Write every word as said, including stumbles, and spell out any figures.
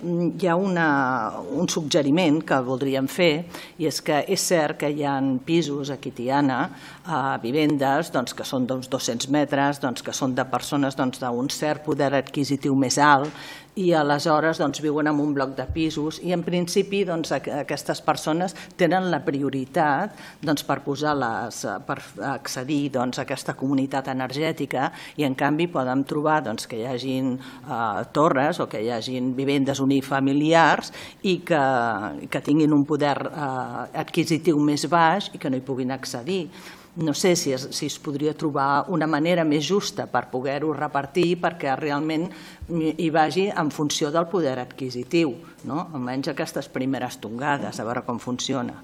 hi ha un suggeriment que voldríem fer, i és que és cert que hi ha pisos aquí a Tiana, vivendes que són d'uns dos-cents metres, que són de persones d'un cert poder adquisitiu més alt, i aleshores viuen en un bloc de pisos i en principi aquestes persones tenen la prioritat per accedir a aquesta comunitat energètica i en canvi poden trobar que hi hagin torres o que hi hagin vivendes unifamiliars i que tinguin un poder adquisitiu més baix i que no hi puguin accedir. No sé si es podria trobar una manera més justa per poder-ho repartir perquè realment hi vagi en funció del poder adquisitiu, almenys aquestes primeres tongades, a veure com funciona.